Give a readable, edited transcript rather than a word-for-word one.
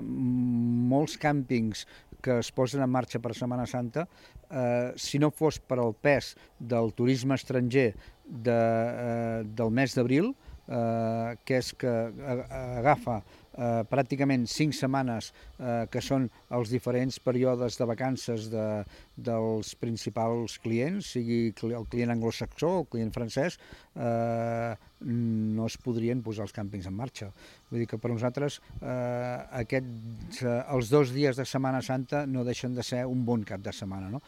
Molts càmpings que es posen en marxa per Setmana Santa, si no fos per al pes del turisme estranger del mes d'abril, que és que agafa pràcticament 5 setmanes, que són els diferents períodes de vacances dels principals clients, sigui el client anglosaxó o el client francès, no es podrien posar els càmpings en marxa. Vull dir que per nosaltres els 2 dies de Setmana Santa no deixen de ser un bon cap de setmana, no?